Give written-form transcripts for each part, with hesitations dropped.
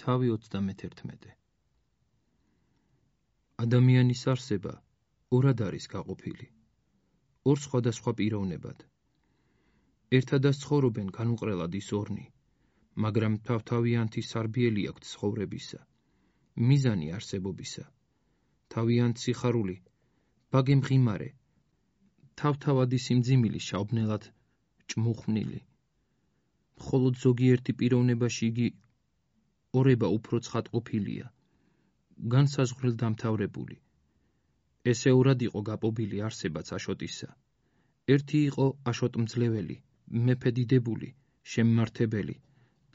თავი 31. ადამიანის არსება ორად არის გაყოფილი, ორ სხვადასხვა პიროვნებად. ერთადაც ცხოვრობენ განუყრელად ის ორნი, მაგრამ თავთავიანთი სარბიელი აქვთ ცხოვრებისა, მიზანი არსებობისა, თავიანთ სიხარული, ბაგე მღიმარე, თავთავადი სიმძიმილი შავბნელად ჭმუხმნილი. მხოლოდ ზოგიერთი პიროვნებაში იგი ორება უფრო ცხადყოფილია, განსაზღვრელ დამთავრებული. ესე ორად იყო გაპობილი არსებაც აშოტისა. ერთი იყო აშოტმძლეველი, მეფე-დიდებული, შემმართებელი,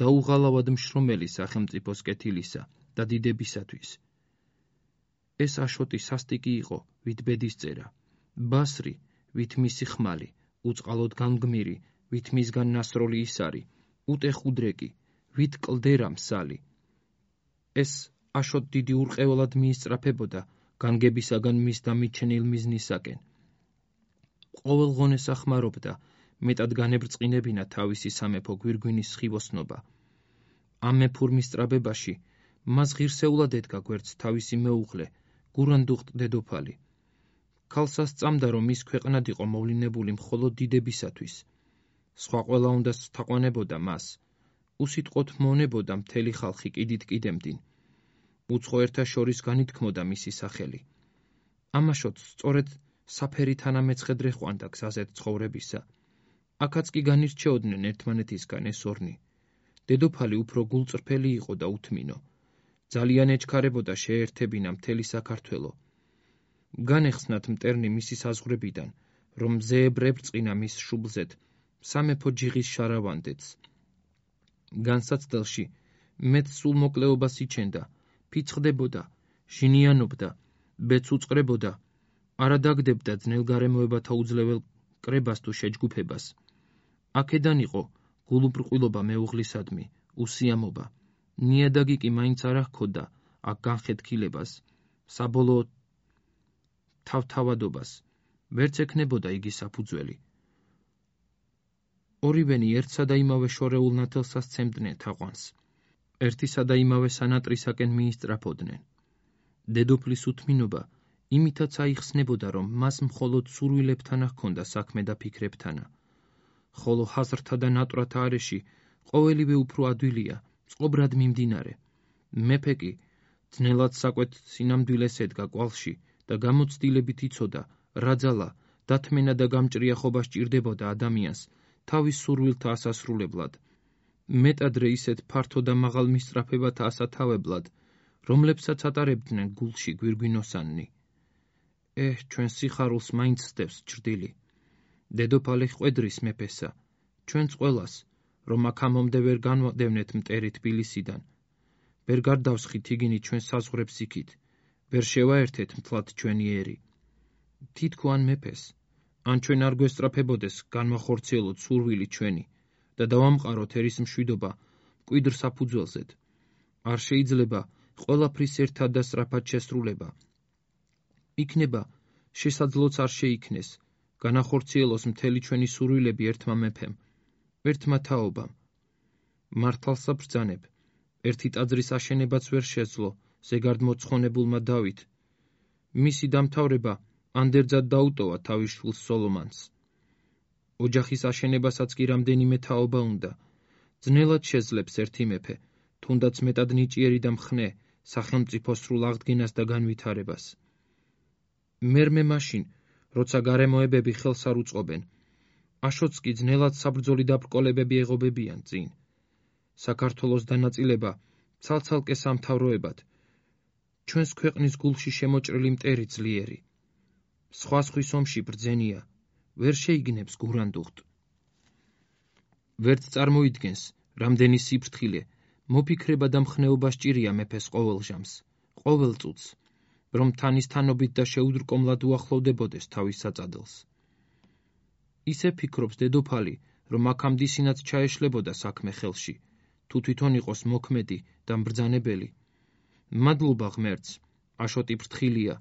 დაუღალავად მშრომელი სახელმწიფოს კეთილისა და დიდებისათვის. ეს აშოტი სასტიკი იყო, ვით ბედისწერა, ბასრი, ვით მისი ხმალი, უწყალოდ განგმირი, ვით მისგან ნასროლი ისარი, უტეხუდრეკი, ვით კლდერა მსალი. ეს აშოტ დიდი ურყევლად მიისწრაფებოდა განგებისაგან მის დამიჩენილ მიზნისაკენ. ყოველ ღონეს ახმარობდა მეტად განებრწყინებინა თავისი სამეფო გვირგვინის სხივოსნობა. ამ მეფურმის სწრაბებაში მას ღირსეულად ედგა გვერდს თავისი მეუღლე, გურანდუხტ დედოფალი. ქალსა სწამდა, რომ ის ქვეყნად იყო მოვლინებული მხოლოდ დიდებისათვის. სხვა ყველა უნდა თაყვანებოდა მას, უსიტყვოდ მონებოდა მთელი ხალხი კიდით კიდემდინ. უცხო ერთა შორის განითქმოდა მისი სახელი. ამაშოთ სწორედ საფერი თანამეცხედრე ყვანდა გზაზეთ ცხოვრებისა. აქაც კი განირჩეოდნენ ერთმანეთისგან ეს ორნი. დედოფალი უფრო გულწრფელი იყო და უთმინო. ძალიან ეჩქარებოდა შეერთებინა მთელი საქართველო. განეხსნათ მტერნი მისი საზღვრებიდან, რომ მზეებრ ებრწყინა მის შუბლზეთ სამეფო ჯიღის შარავანდეთს. განსაცდელში მეც სულ მოკლეობას იჩენდა, ფიცხდებოდა, ჟინიანობდა, ბედს უწყრებოდა, არადაგდებდა ძნელგარემოებათა უძლეվել კრებას თუ შეჯგუფებას. აქედან იყო გულუბრყვილობა მეუღლისადმი, უსიამობა. ნიადაგი კი მაინც არ ჰქონდა აქ განხეთქილებას, საბოლოოდ თავთავადობას. ვერც ექნებოდა იგი საფუძველი. ორივენი ერთსა და იმავე შორეულ ნათელსა სცემდნენ თაყვანს. ერთისა და იმავე სანატრისაკენ მიისწრაფოდნენ. დედოფლის უთმინობა იმითაც აიხსნებოდა, რომ მას მხოლოდ სურვილებთან ჰქონდა საქმე და ფიქრებთანა. ხოლო ჰაზრთა და ნატრათა არეში ყოველივე უფრო ადვილია, წყობრად მიმდინარე. მეფე კი ძნელად საკვეთ სინამდვილეს ედგა კვალში და გამოცდილებით იცოდა, რა ძალა, დათმენა და გამჭრიახობა სჭირდებოდა ადამიანს თავის სურვილთა ასასრულებლად. მეტადრე ისეთ ფართო და მაღალ მისწრაფებათა ასათავებლად, რომლებსაც ატარებდნენ გულში გვირგვინოსანნი. ჩვენ სიხარულს მაინც სდევს ჭრდილი. დედოფალი ხვედრის მეფესა, ჩვენც ყველას, რომ აქამდე ვერ განვადევნეთ მტერი თბილისიდან. ვერ გარდავსხით იგინი ჩვენ საზღვრებს იქით, ვერ შევაერთეთ მთლად ჩვენი ერი. თითქო ან მეფეს, ან ჩვენ არ გვესწრაფებოდეს განვახორციელოთ სურვილი ჩვენი და დავამყაროთ ერის მშვიდობა მკვიდრ საფუძველზეთ. არ შეიძლება ყველაფრის ერთად და სწრაფად შესრულება. იქნება, შესაძლოც არ შეიქნეს, განახორციელოს მთელი ჩვენი სურვილები ერთმა მეფემ, ერთმა თაობამ. მართალსა ბრძანებ, ერთი ტაძრის აშენებაც ვერ შეძლო ზეგარდ მოცხონებულმა დავით. მისი დამთავრება ანდერძად დაუტოვა თავის შვილს სოლომანს. ოჯახის აშენებასაც კი რამდენიმე თაობა უნდა. ძნელად შეძლებს ერთი მეფე, თუნდაც მეტად ნიჭიერი და მხნე სახელმწიფო სრულ აღდგენას და განვითარებას. მერმე მაშინ, როცა გარემოებები ხელს არ უწყობენ, აშოტს კი ძნელად საბრძოლი დაბრკოლებები ეღობებიან წინ. საქართველოს დანაწილება ცალ-ცალკე სამთავროებად, ჩვენს ქვეყნის გულში შემოჭრილი მტერი ძლიერი. სხვა სხვის ომში ბრძენია, ვერ შეიგნებს გურანდუხტ. ვერც წარმოიდგენს, რამდენი სიფრთხილე, მოფიქრება და მხნეობა სჭირია მეფეს ყოველ ჟამს, ყოველ წუთს, რომ თანის თანობით და შეუდრკომლად უახლოვდებოდეს თავის საწადელს. ისე ფიქრობს დედოფალი, რომ აქამდისინაც ჩაეშლებოდა საქმე ხელში, თუ თვითონ იყოს მოქმედი და მბრძანებელი. მადლობა ღმერთს, აშოტი ფრთხილია,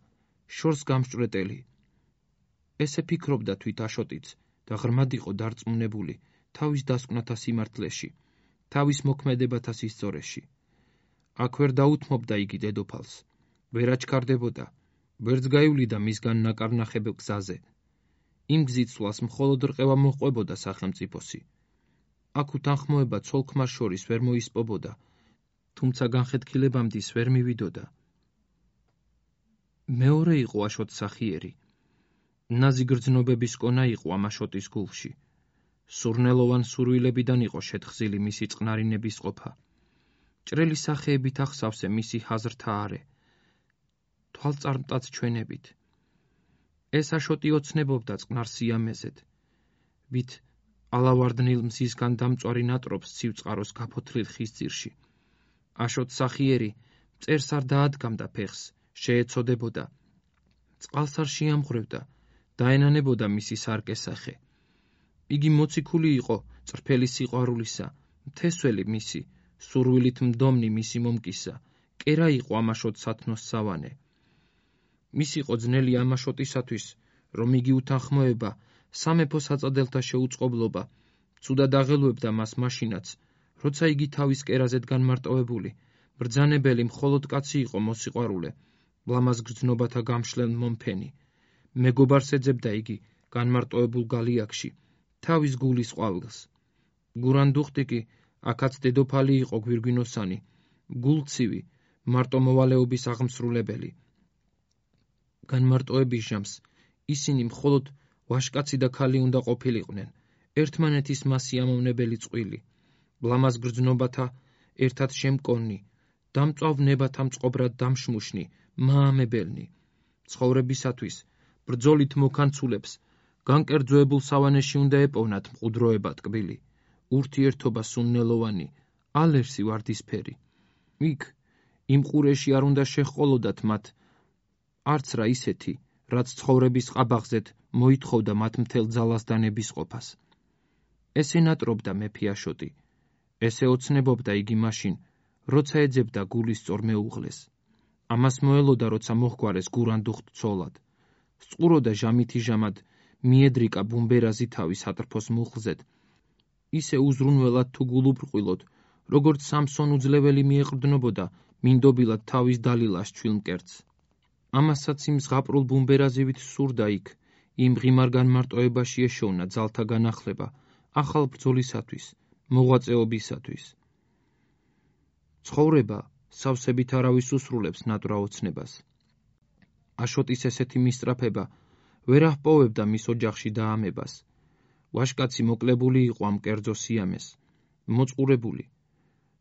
შორს გამსჭვრეტელი. ესე ფიქრობდა თვით აშოტიც და ღრმად იყო დარწმუნებული თავის დასკვნათა სიმართლეში, თავის მოქმედებათა სისწორეში. აქ ვერ დაუთმობდა იგი დედოფალს, ვერ აჩქარდებოდა, ვერც გაივლიდა მისგან ნაკარნახებ გზაზე. იმ გზით მხოლოდ რყევა მოჰყვებოდა სახელმწიფოსი. აქ უთანხმოება ცოლ-ქმარს შორის ვერ მოისპობოდა, თუმცა განხეთქილებამდის ვერ მივიდოდა. მეორე იყო აშოტსახიერი. ნაზი გრძნობების კონა იყო ამ აშოტის გულში. სურნელოვან სურვილებიდან იყო შეთხზილი მისი წყნარინების ყოფა. ჭრელი სახეებით ახსავსე მისი ჰაზრთა არე, თვალწარმტაც ჩვენებით. ეს აშოტი ოცნებობდა წყნარ სიამეზედ, ვით ალავარდნილ მზისგან დამწვარი ნატრობს ცივწყაროს გაფოთლილ ხის ძირში. აშოტსახიერი მწერს არ დაადგამდა ფეხს, შეეცოდებოდა. წყალს არ შეამღვრევდა, დაენანებოდა მისი სარკესახე. იგი მოციქული იყო წრფელი სიყვარულისა, მთესველი მისი, სურვილით მდომნი მისი მომკისა, კერა იყო ამ აშოტს სათნოს სავანე. მის იყო ძნელი ამ აშოტისათვის, რომ იგი უთანხმოება, სამეფო საწადელთა შეუწყობლობა, ცუდად აღელვებდა მას მაშინაც, როცა იგი თავის კერაზედ განმარტოვებული, ბრძანებელი მხოლოდ კაცი იყო მოსიყვარულე, ლამაზ გრძნობათა გამშლელ მომფენი. მეგობარს ეძებდა იგი განმარტოვებულ გალიაკში, თავის გულის ყვავილს. გურანდუხტი კი აქაც დედოფალი იყო გვირგვინოსანი, გულცივი, მარტომოვალეობის აღმსრულებელი. განმარტოების ჟამს ისინი მხოლოდ ვაჟკაცი და ქალი უნდა ყოფილიყვნენ, ერთმანეთის მასიამოვნებელი წყვილი, ლამაზ გრძნობათა ერთად შემკონნი, დამწვავ ნებათა მწყობრად დამშმუშნი, მაამებელნი. ცხოვრებისათვის ბრძოლით მოქანცულებს განკერძოებულ სავანეში უნდა ეპოვნათ მყუდროება ტკბილი, ურთიერთობა სუნნელოვანი, ალერსი ვარდისფერი. იქ იმ ყურეში არ უნდა შეჰყოლოდათ მათ არც რა ისეთი, რაც ცხოვრების ყაბაღზედ მოითხოვდა მათ მთელ ძალას დანების ყოფას. ესე ნატრობდა მეფე აშოტი, ესე ოცნებობდა იგი მაშინ, როცა ეძებდა გულის სწორ მეუღლეს. ამას მოელოდა, როცა მოჰგვარეს გურანდუხტ ცოლად. სწუროდა ჟამითი ჟამად მიედრიკა ბუმბერაზი თავის ატრფოს მუხლზედ, ისე უზრუნველად თუ გულუბრყვილოდ, როგორც სამსონ უძლეველი მიეყრდნობოდა მინდობილად თავის დალილას ჩვილმკერდს. ამასაც იმ ზღაპრულ ბუმბერაზივით სურდა იქ, იმ ღიმარ განმარტოებაში ეშოვნა ძალთა განახლება, ახალ ბრძოლისათვის, მოღვაწეობისათვის. ცხოვრება სავსებით არავის უსრულებს ნატვრა ოცნებას. აშოტის ესეთი მისწრაფება ვერ აჰპოვებდა მის ოჯახში დაამებას. ვაჟკაცი მოკლებული იყო ამ კერძო სიამეს, მოწყურებული.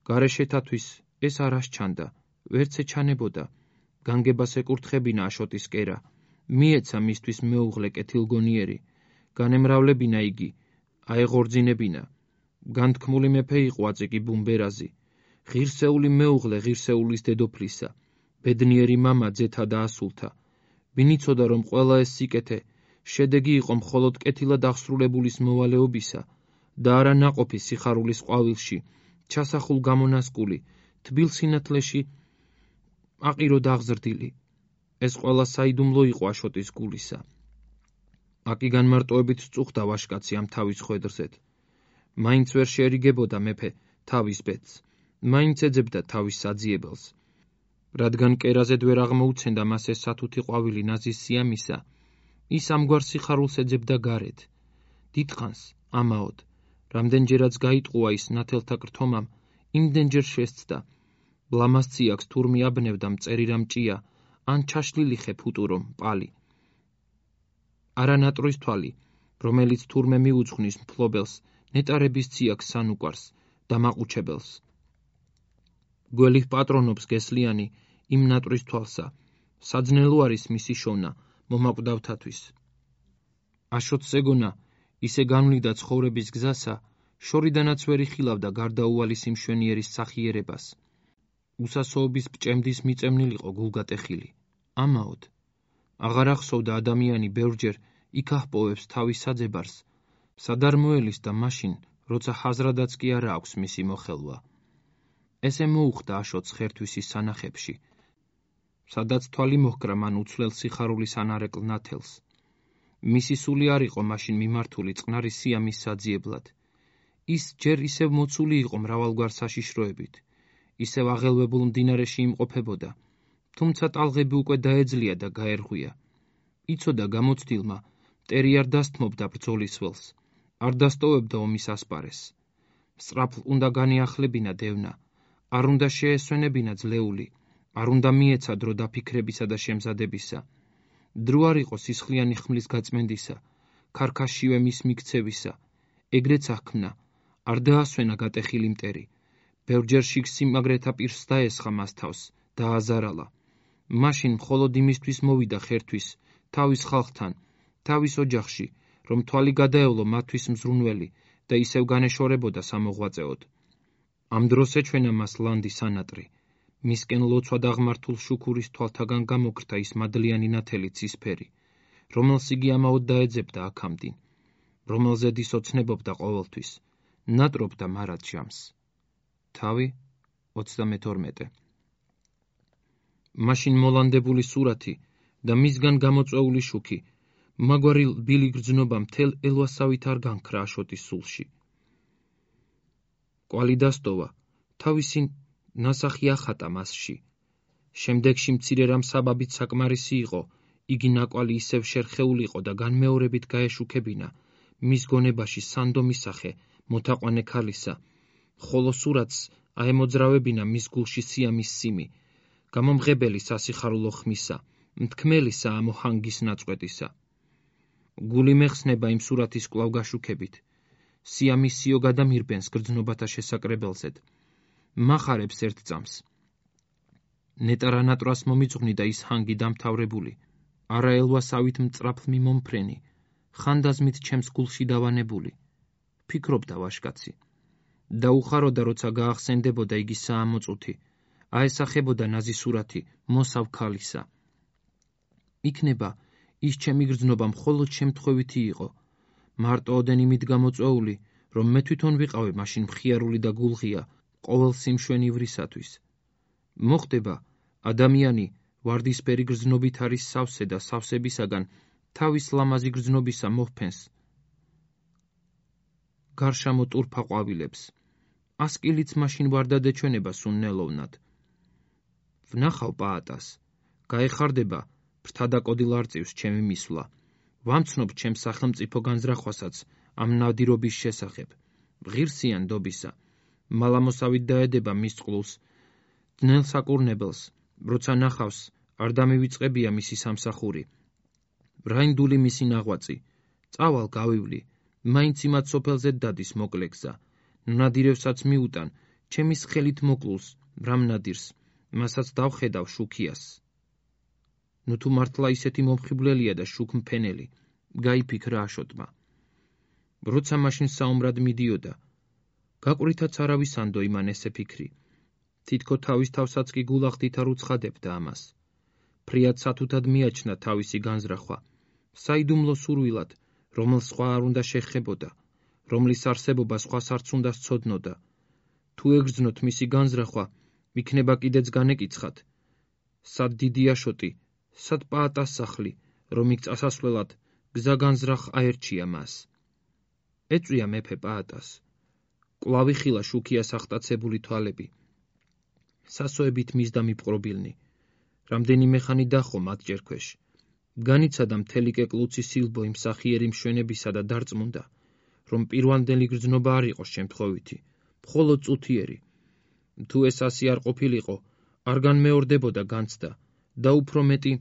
გარეშეთათვის ეს არ ასჩანდა, ვერც ეჩანებოდა. განგებას ეკურთხებინა აშოტის კერა, მიეცა მისთვის მეუღლე კეთილგონიერი, განემრავლებინა იგი, აეღორძინებინა. განთქმული მეფე იყო აწიკი ბუმბერაზი, ღირსეული მეუღლე ღირსეულის დედოფლისა, ბედნიერი მამა ძეთა და ასულთა. ვინ იცოდა, რომ ყველა ეს სიკეთე შედეგი იყო მხოლოდ კეთილად აღსრულებულის მოვალეობისა და არა ნაყოფი სიხარულის ყვავილში, ჩასახულ გამონასკული, თბილ სინათლეში აყიროდ აღზრდილი. ეს ყველა საიდუმლო იყო აშოტის გულისა. აკი განმარტოებით წუხდა ვაჟკაცი ამ თავის ხვედრზედ. მაინც ვერ შეერიგებოდა მეფე თავის ბედს, მაინც ეძებდა თავის საძიებელს. რადგან კერაზედ ვერ აღმოუცენდა მას ეს სათუთი ყვავილი ნაზის სიამისა, ის ამგვარ სიხარულს ეძებდა გარეთ. დიდხანს, ამაოდ, რამდენჯერაც გაიტყუა ის ნათელთა კრთომამ, იმდენჯერ შესცდა. ლამაზ ციაკს თურმე აბნევდა მწერი რამ ჭია, ან ჩაშლილი ხე ფუტურომ პალი. არა ნატრის თვალი, რომელიც თურმე მიუძღვნის მფლობელს, ნეტარების ციაკს სანუკვარს, დამაყუჩებელს. გველის პატრონობს გესლიანი იმ ნატრის თვალსა, საძნელო არის მისი შოვნა მომაკვდავთათვის. აშოტს ეგონა, ისე განვლიდა ცხოვრების გზასა, შორიდანაც ვერ იხილავდა გარდაუვალი სიმშვენიერის სახიერებას. უსასოობის ბჭემდის მიწემნილიყო გულგატეხილი. ამაოდ, აღარ ახსოვდა ადამიანი ბევრჯერ იქ აჰპოვებს თავის საძებარს, სადარ მოელის და მაშინ, როცა ჰაზრადაც კი არა აქვს მისი მოხელვა. ესე მოუხდა აშოტს ხერთვისის სანახებში, სადაც თვალი მოჰკრა მან უცვლელ სიხარულის ანარეკლ ნათელს. მისი სული არ იყო მაშინ მიმართული წყნარი სიამის საძიებლად. ის ჯერ ისევ მოცული იყო მრავალგვარ საშიშროებით, ისევ აღელვებულ მდინარეში იმყოფებოდა, თუმცა ტალღები უკვე დაეძლია და გაერღვია. იცოდა გამოცდილმა, მტერი არ დასთმობდა ბრძოლის ველს, არ დასტოვებდა ომის ასპარეს. სწრაფ უნდა განიახლებინა დევნა, არ უნდა შეესვენებინა ძლეული, არ უნდა მიეცა დრო დაფიქრებისა და შემზადებისა. დრო არ იყო სისხლიანი ხმლის გაწმენდისა, ქარქაშივე მის მიქცევისა, ეგრეც აღქმნა, არ დაასვენა გატეხილი მტერი. ბევრჯერ შიგ სიმაგრეთა პირს დაესხა მას თავს, დააზარალა. მაშინ მხოლოდ იმისთვის მოვიდა ხერთვის, თავის ხალხთან, თავის ოჯახში, რომ თვალი გადაევლო მათთვის მზრუნველი და ისევ განეშორებოდა სამოღვაწეოდ. ამ დროს ეჩვენა მას ლანდი სანატრი. მისკენ ლოცვა დაღმართულ შუქურის თვალთაგან გამოგრთა ის მადლიანი ნათელი ცისფერი, რომელს იგი ამაოდ დაეძებდა აქამდინ, რომელზედ ის ოცნებობდა ყოველთვის, ნატრობდა მარად ჟამს. თავი 32. მაშინ მოლანდებული სურათი და მისგან გამოწვეული შუქი, მაგვარი ბილი გრძნობა მთელ ელვასავით არ განქრა აშოტის სულში. კვალი დასტოვა, თავისი ნასახი ახატა მასში. შემდეგში მცირე რამ საბაბით საკმარისი იყო, იგი ნაკვალი ისევ შერხეულიყო და განმეორებით გაეშუქებინა მის გონებაში სანდო მისახე მოთაყვანე ქალისა, ხოლო სურათს აემოძრავებინა მის გულში სიამის სიმი, გამომღებელი სასიხარულო ხმისა, მთქმელისა ამოჰანგის ნაწყვეტისა. გული მეხსნება იმ სურათის კვლავ გაშუქებით, სიამისიო გადამირბენს გრძნობათა შესაკრებელზედ, მახარებს ერთ წამს. ნეტარა ნატრას მომიწვნიდა ის ჰანგი დამთავრებული, არა ელვასავით მწრაფლ მიმომფრენი, ხანდაზმით ჩემს გულში დავანებული, ფიქრობდა ვაშკაცი. დაუხაროდა, როცა გაახსენდებოდა იგი საამოწუთი, აესახებოდა ნაზი სურათი მოსავ ქალისა. იქნება, ის ჩემი გრძნობა მხოლოდ შემთხვევითი იყო, მარტო ოდენ იმით გამოწვეული, რომ მე თვითონ ვიყავი მაშინ მხიარული და გულღია ყოველ სიმშვენივრისათვის. მოხდება, ადამიანი ვარდისფერი გრძნობით არის სავსე და სავსებისაგან თავის ლამაზი გრძნობისა მოჰფენს გარშამო ტურფა ყვავილებს. ასკილიც მაშინ ვარდადეჩვენება სუნნელოვნად. ვნახავ პაატას, გაეხარდება ფრთადაკოდილ არწივს ჩემი მისვლა, ვამცნობ ჩემს სახელმწიფო განზრახვასაც ამ ნადირობის შესახებ, ღირსიან დობისა, მალამოსავით დაედება მის წყლულს, ძნელ საკურნებელს, როცა ნახავს, არ დამივიწყებია მისი სამსახური. რაინდული მისი ნაღვაწი, წავალ გავივლი, მაინც იმათ სოფელზე დადის მოკლეგზა, ნადირევსაც მიუტან, ჩემის ხელით მოკლულს, რამ ნადირს, მასაც დავხედავ შუქიას. ნუ თუ მართლა ისეთი მომხიბვლელია და შუქმფენელი, გაიფიქრა აშოტმა. როცა მაშინ საომრად მიდიოდა, გაყვრითაც არავის ანდო იმან ესე ფიქრი. თითქო თავის თავსაც კი გულახდით არ უცხადებდა ამას. ფრიად სათუთად მიაჩნდა თავისი განზრახვა, საიდუმლო სურვილად, რომელს სხვა არ უნდა შეხებოდა, რომლის არსებობა სხვას არც უნდა სცოდნოდა. თუ ეგრძნოთ მისი განზრახვა, იქნება კიდეც განეკიცხათ. სად დიდი აშოტი, სად პაატას სახლი, რომ იქ წასასვლელად გზა განზრახ აერჩია მას. ეწვია მეფე პაატას. კვლავ იხილა შუქიას ახტაცებული თვალები. სასოებით მისდა მიპყრობილნი. რამდენიმე ხანი დახო მათ ჯერქვეშ. განიცადა მთელი კეკლუცი სილბო იმ სახიერი მშვენებისა და დარწმუნდა, რომ პირვანდელი გრძნობა არ იყო შემთხვევითი, მხოლოდ წუთიერი. თუ ეს ასე არ ყოფილიყო, არ განმეორდებოდა განცდა და უფრო მეტი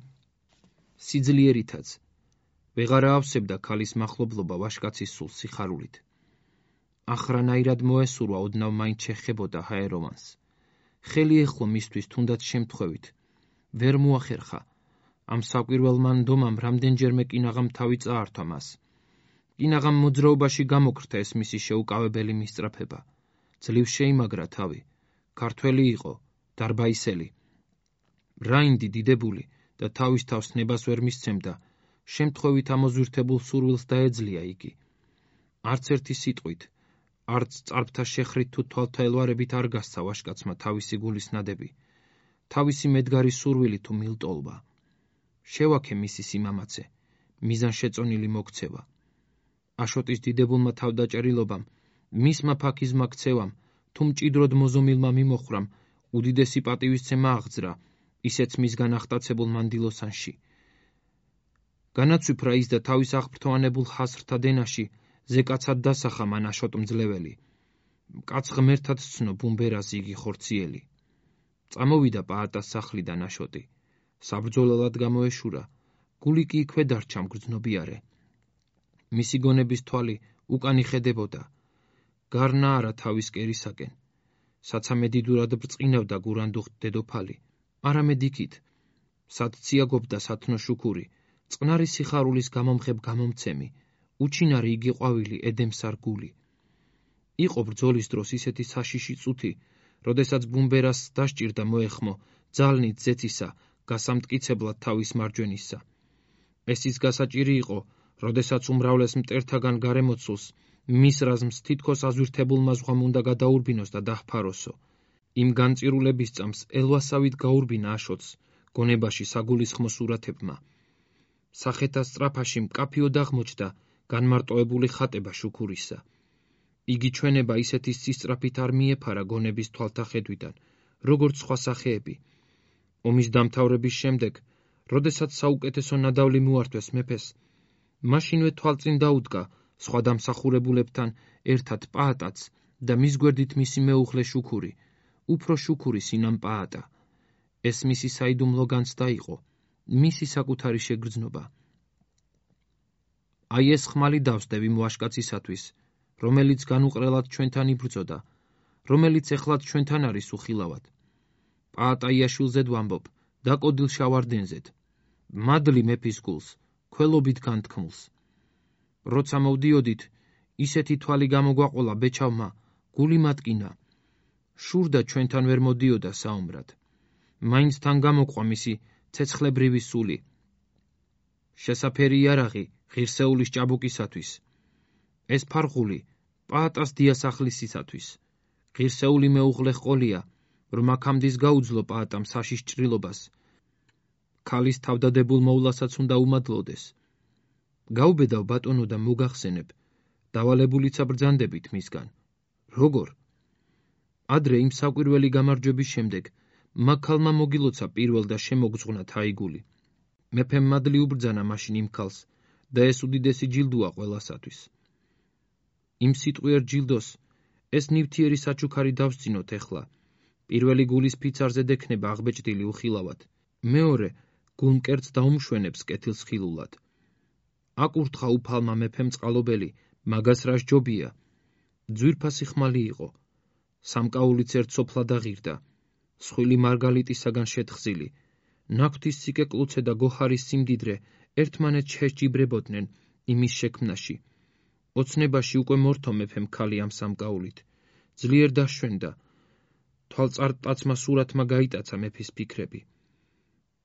სიძლიერითაც. ვეღარა ავსებდა ქალის მახლობლობა ვაშკაცის სულს სიხარულით. ახრანაირად მოესურვა ოდნავ მაინც შეხებოდა ჰაერომანს. ხელი ეხლო მისთვის თუნდაც შემთხვევით. ვერ მოახერხა. ამ საკვირველმა ნდომამ რამდენჯერმე კინაღამ თავი წაართვა მას. კინაღამ მოძრაობაში გამოგრთა ეს მისი შეუკავებელი მისწრაფება. ძლივ შეიმაგრა თავი. ქართველი იყო, დარბაისელი. რაინდი დიდებული და თავის თავს ნებას ვერ მისცემდა, შემთხვევით ამოზვირთებულ სურვილს დაეძლია იგი. არც ერთი სიტყვით, არც წარბთა შეხრით თუ თვალთა ელვარებით არ გასცა ვაშკაცმა თავისი გულის ნადები, თავისი მედგარი სურვილი თუ მილტოლვა. შევაქე მისი სიმამაცე, მიზანშეწონილი მოქცევა. აშოტის დიდებულმა თავდაჭერილობამ, მისმა ფაქიზმა ქცევამ, თუ მჭიდროდ მოზომილმა მიმოხრამ, უდიდესი პატივისცემა აღძრა, ისეც მისგან ახტაცებულ მანდილოსანში. განაცვიფრა ის და თავის აღფრთოვანებულ ხასრთა დენაში ზეკაცად დასახა მან აშოტმძლეველი. კაც ღმერთად სცნო ბუმბერას იგი ხორციელი. წამოვიდა პაატას სახლიდან აშოტი. საბრძოლველად გამოეშურა, გული კი იქვე დარჩა მგრძნობიარე. მისი გონების თვალი უკან იხედებოდა. გარნა არა თავის კერისაკენ. საცამე დიდურად ბრწყინავდა გურანდუხტ დედოფალი, არამედ იქით. სად ციაგობდა სათნო შუქური, წყნარი სიხარულის გამომხებ გამომცემი, უჩინარი იგი ყვავილი ედემსარ გული. იყო ბრძოლის დროს ისეთი საშიში წუთი, როდესაც ბუმბერას დასჭირდა მოეხმო ძალნით ზეცისა, გასამტკიცებლად თავის მარჯვენისა. ეს ის გასაჭირი იყო, როდესაც უმრავლეს მტერთაგან გარემოცულს მის რაზმს თითქოს აზვირთებულმა ზღვამ უნდა გადაურბინოს და დაჰფაროსო. იმ განწირულების წამს ელვასავით გაურბინა აშოტს, გონებაში საგულისხმო სურათებმა. სახეთა სწრაფაში მკაფიოდ აღმოჩნდა განმარტოებული ხატება შუქურისა. იგი ჩვენება ისეთი სისწრაფით არ მიეფარა გონების თვალთახედვიდან, როგორც სხვა სახეები. ომის დამთავრების შემდეგ, როდესაც საუკეთესო ნადავლი მოართვეს მეფეს, მაშინვე თვალწინ დაუდგა სხვა დამსახურებულებთან ერთად პაატაც და მის გვერდით მისი მეუღლე შუქური, უფრო შუქური სინამ პაატა. ეს მისი საიდუმლო განცდა იყო, მისი საკუთარი შეგრძნობა. აი ეს ხმალი დავსდევ იმ ვაჟკაცისათვის, რომელიც განუყრელად ჩვენთან იბრძოდა, რომელიც ეხლაც ჩვენთან არის უხილავად. პაატაიაშვილზედ ვამბობ, დაკოდილ შავარდენზედ. მადლი მეფის გულს, ქველობით განთქმულს. როცა მოვდიოდით, ისეთი თვალი გამოგვაყოლა ბეჩავმა, გული მატკინა. შურდა ჩვენთან ვერ მოდიოდა საომრად. მაინც თან გამოყვა მისი ცეცხლებრივი სული. შესაფერი იარაღი ღირსეულის ჭაბუკისათვის. ეს ფარღული პაატას დიასახლისისათვის. ღირსეული მეუღლე ჰყოლია, რომ აქამდის გაუძლო პაატამ საშიშ ჭრილობას. ქალის თავდადებულ მოვლასაც უნდა უმადლოდეს. გაუბედავ ბატონო და მოგახსენებ, დავალებულიცა ბრძანდებით მისგან. როგორ? ადრე იმ საკვირველი გამარჯვების შემდეგ მაგ ქალმა მოგილოცა პირველ და შემოგზღვნა თაიგული. მეფემ მადლი უბრძანა მაშინ იმ ქალს და ეს უდიდესი ჯილდოა ყველასათვის. იმ სიტყვიერ ჯილდოს ეს ნივთიერი საჩუქარი დავსწინოთ ეხლა. პირველი გულის ფიცარზე დექნება აღბეჭდილი უხილავად. მეორე გულმკერდს დაუმშვენებს კეთილს ხილულად. აკურთხა უფალმა მეფემ წყალობელი, მაგას რა სჯობია. ძვირფასი ხმალი იყო. სამკაულიც ერთ სოფლად აღირდა. სხვილი მარგალიტისაგან შეთხზილი. ნაქვთის სიკეკლუცე და გოჰარის სიმდიდრე ერთმანეთს შეჯიბრებოდნენ იმის შექმნაში. ოცნებაში უკვე მორთო მეფემ ქალი ამ სამკაულით. ძლიერ დაშვენდა. თვალწარმტაცმა სურათმა გაიტაცა მეფის ფიქრები.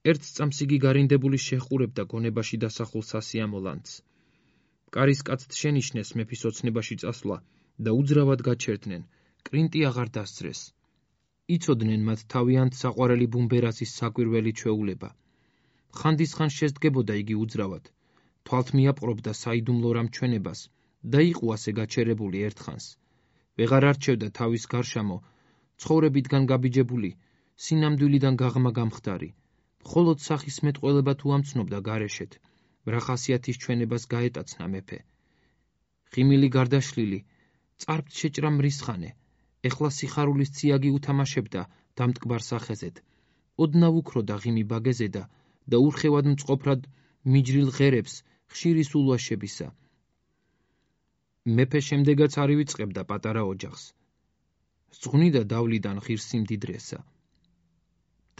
ერთ წამს იგი გარინდებული შეჰყურებდა გონებაში დასახულ სასიამო ლანძს. კარის კაცთ შენიშნეს მეფის ოცნებაში წასვლა და უძრავად გაჩერდნენ, კრინტი აღარ დასძრეს. იცოდნენ მათ თავიანთ საყვარელი ბუმბერასის საკვირველი ჩვეულება. ხანდისხან შესდგებოდა იგი უძრავად, თვალთ მიაპყრობდა საიდუმლო რამჩვენებას და იყო ასე გაჩერებული ერთხანს. ვეღარ არჩევდა თავის გარშამო, ცხოვრებიდან გაბიჯებული, სინამდვილიდან გაღმა გამხდარი. მხოლოდ სახის მეტყველება თუ ამცნობდა გარეშეთ, რა ხასიათის ჩვენებას გაეტაცნა მეფე. ღიმილი გარდაშლილი, წარბთ შეჭრა მრისხანე, ეხლა სიხარულის ციაგი უთამაშებდა დამტკბარ სახეზედ. ოდნავ უქროდა ღიმი ბაგეზედა და ურხევად მწყობრად მიჯრილ ღერებს ხშირი სულვაშებისა. მეფე შემდეგაც არ ივიწყებდა პატარა ოჯახს. ზღვნიდა დავლიდან ღირს სიმდიდრესა.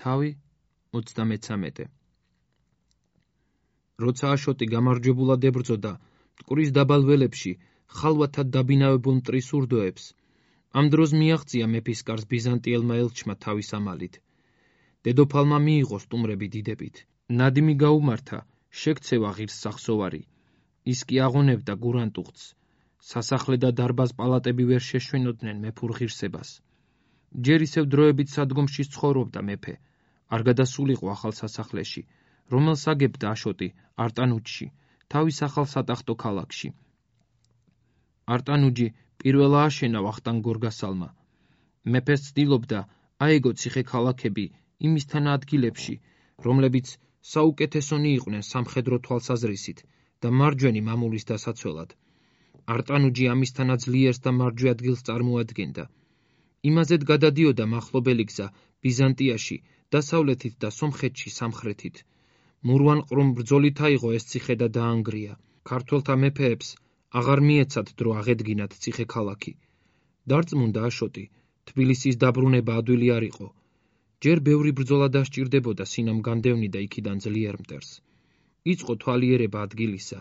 თავი 33. როცა აშოტი გამარჯვებულად ებრძოდა მტკვრის დაბალ ველებში ხალვათად დაბინავებულ მტრის ურდოებს, ამ დროს მიაღწია მეფის კარს ბიზანტიელმა ელჩმა თავის ამალით. დედოფალმა მიიღო სტუმრები დიდებით. ნადიმი გაუმართა, შეკცევა ღირს სახსოვარი. ის კი აღონებდა გურანტუხტს. სასახლე და დარბაზ პალატები ვერ შეშვენოდნენ მეფურ ღირსებას. ჯერ ისევ დროებით სადგომში ცხოვრობდა მეფე. არ გადასულიყო ახალ სასახლეში, რომელს აგებდა აშოტი არტანუჯში, თავის ახალ სატახტო ქალაქში. არტანუჯი პირველა აშენა ვახტანგ გორგასალმა. მეფეს ცდილობდა აეგო ციხე-ქალაქები იმისთან ადგილებში, რომლებიც საუკეთესონი იყვნენ სამხედრო თვალსაზრისით და მარჯვენი მამულის დასაცველად. არტანუჯი ამისთანაც ძლიერს და მარჯვე ადგილს წარმოადგენდა. იმაზედ გადადიოდა მახლობელი გზა ბიზანტიაში, დასავლეთით და სომხეთში სამხრეთით. მურვან-ყრუმ ბრძოლით აიღო ეს ციხე და დაანგრია. ქართველთა მეფეებს აღარ მიეცათ დრო აღედგინათ ციხე-ქალაქი. დარწმუნდა აშოტი, თბილისის დაბრუნება ადვილი არ იყო. ჯერ ბევრი ბრძოლა დასჭირდებოდა სინამ განდევნიდა იქიდან ძლიერ მტერს. იწყო თვალიერება ადგილისა,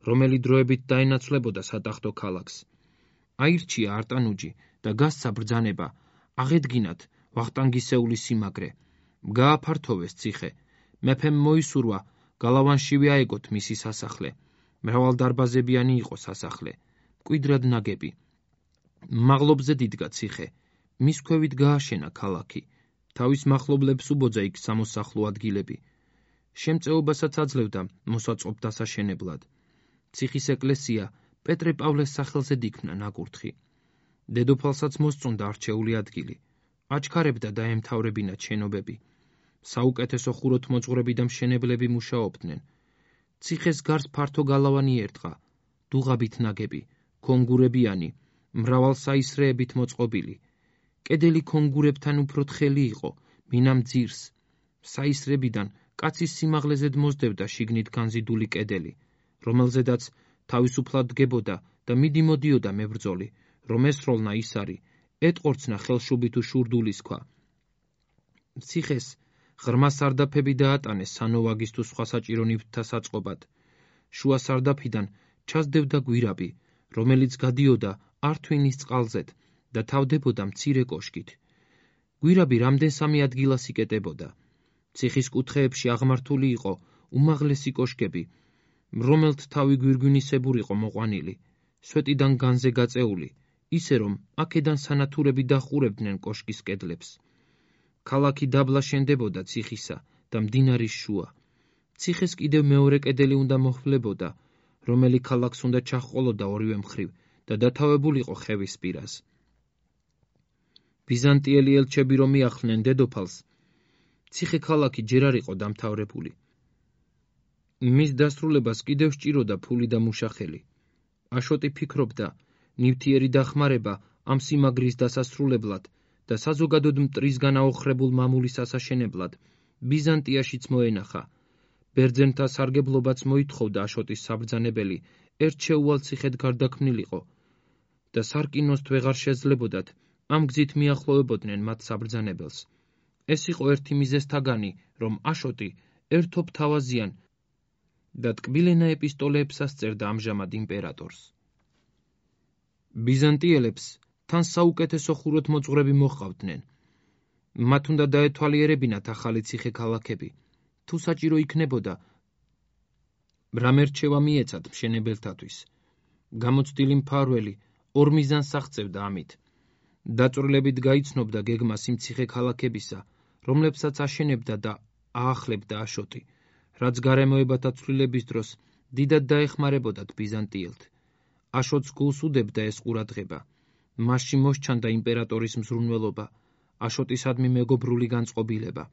რომელი დროებით დაენაცვლებოდა სატახტო ქალაქს. აირჩია არტანუჯი და გასცა ბრძანება, აღედგინათ ვახტანგისეულის სიმაგრე. გააფართოვეს ციხე. მეფემ მოისურვა გალავანშივე აეგოთ მისი სასახლე. მრავალდარბაზებიანი იყო სასახლე, მკვიდრად ნაგები. მაღლობზე დიდგა ციხე. მის ქვევით გააშენა ქალაქი. თავის მახლობლებს უბოძა იქ სამოსახლო ადგილები. შემწეობასაც აძლევდა მოსაწყობ დასაშენებლად. ციხის ეკლესია პეტრე პავლეს სახელზე დიქმნა ნაკურთხი. დედოფალსაც მოსწონდა არჩეული ადგილი. აჩქარებდა დაემთავრებინათ შენობები. საუკეთესო ხუროთმოძღვრები და მშენებლები მუშაობდნენ. ციხეს გარს ფართო გალავანი ერტყა, დუღაბით ნაგები, ქონგურებიანი, მრავალ საისრეებით მოწყობილი. კედელი ქონგურებთან უფრო თხელი იყო, მინამ ძირს. საისრებიდან კაცის სიმაღლეზედ მოსდევდა შიგნით განზიდული კედელი, რომელზედაც თავისუფლად დგებოდა და მიდი-მოდიოდა მებრძოლი, რომ ესროლნა ისარი, ეტყორცნა ხელშუბი თუ შურდულის ქვა. ციხეს ღრმა სარდაფები დაატანეს სანოვაგის თუ სხვა საჭირო ნივთთა საწყობად. შუა სარდაფიდან ჩასდევდა გვირაბი, რომელიც გადიოდა ართვინის წყალზედ და თავდებოდა მცირე კოშკით. გვირაბი რამდენსამე ადგილას იკეტებოდა. ციხის კუთხეებში აღმართული იყო უმაღლესი კოშკები, რომელთ თავი გვირგვინისებურ იყო მოყვანილი, სვეტიდან განზე გაწეული, ისე რომ აქედან სანათურები დახურებდნენ კოშკის კედლებს. ქალაქი დაბლა შენდებოდა ციხისა და მდინარის შუა. ციხეს კიდევ მეორე კედელი უნდა მოჰვლებოდა, რომელი ქალაქს უნდა ჩაჰყოლოდა ორივე მხრივ და დათავებულიყო ხევის პირას. ბიზანტიელი ელჩები რომ მიახლნენ დედოფალს, ციხე-ქალაქი ჯერ არ იყო დამთავრებული. მის დასრულებას კიდევ სჭიროდა ფული და მუშახელი. აშოტი ფიქრობდა, ნივთიერი დახმარება ამ სიმაგრის დასასრულებლად და საზოგადოდ მტრისგან აოხრებულ მამულის ასაშენებლად ბიზანტიაშიც მოენახა. ბერძენთა სარგებლობაც მოითხოვდა აშოტის საბრძანებელი ერთშეუვალ ციხედ გარდაქმნილიყო და სარკინოსთ ვეღარ შეძლებოდათ ამ გზით მიახლოვებოდნენ მათ საბრძანებელს. ეს იყო ერთი მიზეზთაგანი, რომ აშოტი ერთობ თავაზიან და ტკბილენა ეპისტოლეებსაც წერდა ამჟამად იმპერატორს. ბიზანტიელებს თან საუკეთესო ხუროთმოძღვრები მოჰყავდნენ. მათ უნდა დაეთვალიერებინათ ახალი ციხე-ქალაქები. თუ საჭირო იქნებოდა, რამ ერჩევა მიეცათ მშენებელთათვის. გამოცდილი მფარველი ორ მიზანს აღწევდა ამით. დაწვრილებით გაიცნობდა გეგმას იმ ციხე-ქალაქებისა, რომლებსაც აშენებდა და აახლებდა აშოტი, რაც გარემოებათა ცვლილების დროს დიდად დაეხმარებოდათ ბიზანტიელთ. აშოტს გულს უდებდა ეს ყურადღება. მასში მოსჩანდა იმპერატორის მზრუნველობა, აშოტისადმი მეგობრული განწყობილება.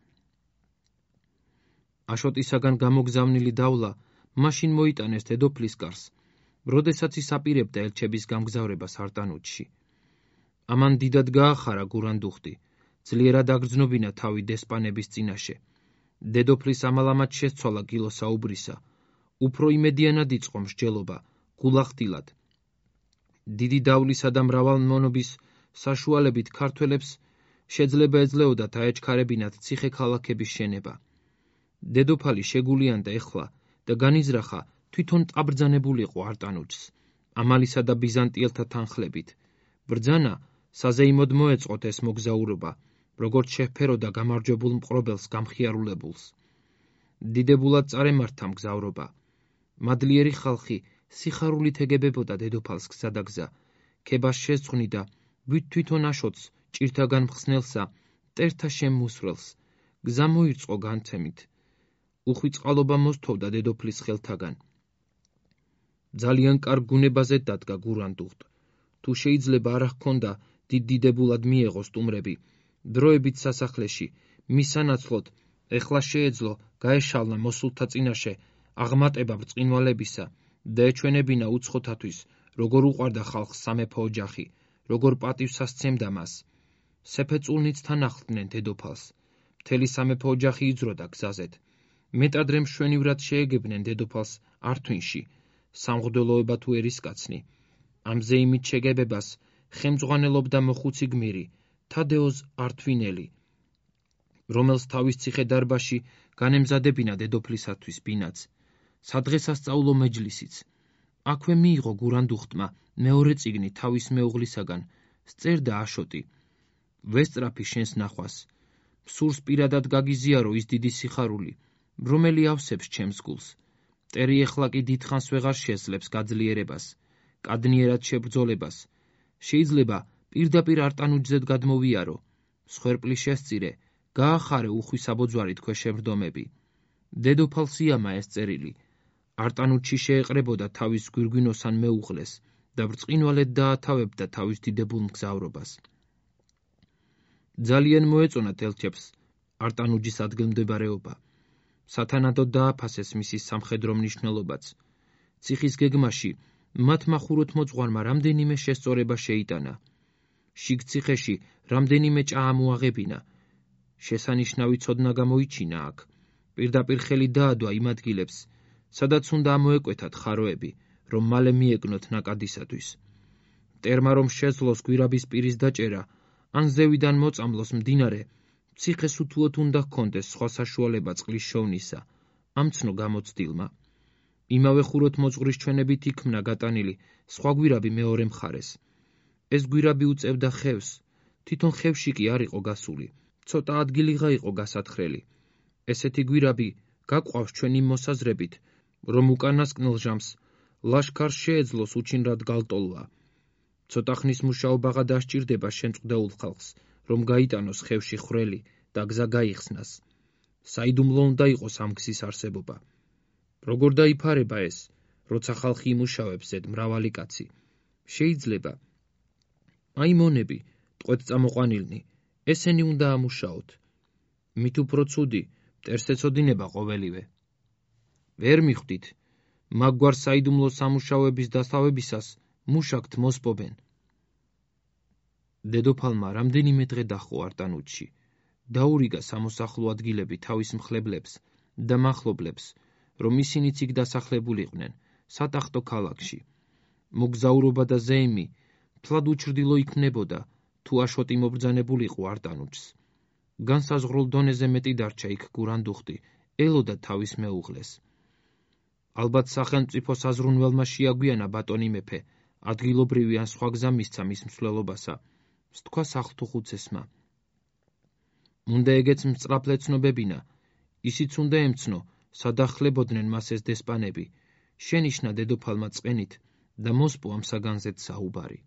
აშოტისაგან გამოგზავნილი დავლა მაშინ მოიტანეს დედოფლის კარს, როდესაც ის აპირებდა ელჩების გამგზავრებას არტანუჯში. ამან დიდად გაახარა გურანდუხტი, ძლიერად აგრძნობინა თავი დესპანების წინაშე. დედოფლის ამალამად შესცვალა გილოსაუბრისა, უფრო იმედიანად იწყო მსჯელობა, გულახდილად. დიდი დავლისა და მრავალმონობის საშუალებით ქართველებს შეძლება ეძლეოდათ აეჩქარებინათ ციხე-ქალაქების შენება. დედოფალი შეგულიანდა ეხლა და განიზრახა თვითონ წაბრძანებულიყო არტანუჯს, ამალისა და ბიზანტიელთა თანხლებით. ბრძანა საზეიმოდ მოეწყოთ ეს მოგზაურობა, როგორც შეჰფეროდა გამარჯვებულ მყრობელს გამხიარულებულს. დიდებულად წარემართა მგზავრობა. მადლიერი ხალხი სიხარულით ეგებებოდა დედოფალს გზა და გზა, ქებას შეძღვნიდა თვითონ აშოტს ჭირთაგან მხსნელსა, მტერთა შემმუსრელს. გზა მოირწყო განცემით. უხვიწყალობა მოსთოვდა დედოფლის ხელთაგან. ძალიან კარგ გუნებაზე დადგა გურანდუხტ. თუ შეიძლება არ ჰქონდა დიდებულად მიეღო სტუმრები, დროებით სასახლეში, მის სანაცვლოდ, ეხლა შეეძლო გაეშალნა მოსულთა წინაშე აღმატება ბრწყინვალებისა და ეჩვენებინა უცხოთათვის, როგორ უყვარდა ხალხს სამეფო ოჯახი, როგორ პატივს ასცემდა მას. სეფეწულნიც თან ახლდნენ დედოფალს. მთელი სამეფო ოჯახი იძროდა გზაზეთ. მეტადრე მშვენივრად შეეგებნენ დედოფალს ართვინში, სამღვდელოება თუ ერისკაცნი. ამზე იმით შეგებებას ხელმძღვანელობდა მოხუცი გმირი, თადეოზ ართვინელი, რომელს თავის ციხე-დარბაზში განემზადებინა დედოფლისათვის ბინაც, სადღესასწაულო მეჯლისიც. აქვე მიიღო გურანდუხტმა მეორე წიგნი თავის მეუღლისაგან, სწერდა აშოტი. ვესწრაფი შენს ნახვას. სურს პირადად გაგიზიარო ის დიდი სიხარული, რომელი ავსებს ჩემს გულს. მტერი ეხლა კი დიდხანს ვეღარ შეძლებს გაძლიერებას, კადნიერად შებრძოლებას. შეიძლება პირდაპირ არტანუჯზედ გადმოვიარო, მსხვერპლი შესწირე, გაახარე უხვის აბოძვარით ქვეშევრდომები. დედოფალს იამა ეს წერილი. არტანუჯში შეეყრებოდა თავის გვირგვინოსან მეუღლეს და ბრწყინვალედ დაათავებდა თავის დიდებულ მგზავრობას. ძალიან მოეწონათ ელჩებს არტანუჯის ადგილმდებარეობა. სათანადოდ დააფასეს მისი სამხედრო მნიშვნელობაც. ციხის გეგმაში მათ მახუროთმოძღვარმა რამდენიმე შესწორება შეიტანა. შიგ ციხეში რამდენიმე ჭა ამოაღებინა. შესანიშნავი ცოდნა გამოიჩინა აქ. პირდაპირ ხელი დაადვა იმ ადგილებს, სადაც უნდა ამოეკვეთათ ხაროები, რომ მალე მიეკნოთ ნაკადისათვის. მტერმა რომ შეძლოს გვირაბის პირის დაჭერა, ან ზევიდან მოწამლოს მდინარე, ციხეს უთუოდ უნდა ჰქონდეს სხვა საშუალება წყლის შოვნისა, ამ ცნო გამოცდილმა. იმავე ხუროთმოძღვრის ჩვენებით იქმნა გატანილი სხვა გვირაბი მეორე მხარეს. ეს გვირაბი უწევდა ხევს, თვითონ ხევში კი არ იყო გასული, ცოტა ადგილიღა იყო გასათხრელი. ესეთი გვირაბი გაყვავს ჩვენი მოსაზრებით, რომ უკანასკნელ ჟამს ლაშქარს შეეძლოს უჩინრად გალტოლვა. ცოტა ხნის მუშაობაღა დასჭირდება შემწყდეულ ხალხს, რომ გაიტანოს ხევში ხვრელი და გზა გაიხსნას. საიდუმლო უნდა იყოს ამ გზის არსებობა. როგორ დაიფარება ეს, როცა ხალხი იმუშავებს ზედ მრავალი კაცი? შეიძლება. აი მონები, ტყვედ წამოყვანილნი, ესენი უნდა ამუშაოთ. მით უფრო ცუდი, მტერს ეცოდინება ყოველივე. ვერ მიხვდით, მაგვარ საიდუმლო სამუშაოების დასავებისას მუშაკთ მოსპობენ. დედოფალმა რამდენიმე დღე დაჰყო არტანუჯში. დაურიგა სამოსახლო ადგილები თავის მხლებლებს და მახლობლებს, რომ ისინიც იქ დასახლებულიყვნენ, სატახტო ქალაქში. მოგზაურობა და ზეიმი თლად უჩრდილო იქმნებოდა, თუ აშოტი მობრძანებულიყო არტანუჯს. განსაზღვრულ დონეზე მეტი დარჩა იქ გურანდუხტი, ელოდა თავის მეუღლეს. ალბათ სახელმწიფო საზრუნველმა შეაგვიანა ბატონი მეფე, ადგილობრივი ან სხვა გზა მისცა მის მსვლელობასა, სთქვა სახლთუხუცესმა. უნდა ეგეც მწრაფლე ცნობებინა, ისიც უნდა ემცნო, სადახლებოდნენ მას ეს დესპანები, შენიშნა დედოფალმა წყენით და მოსპო ამ საგანზეთ საუბარი.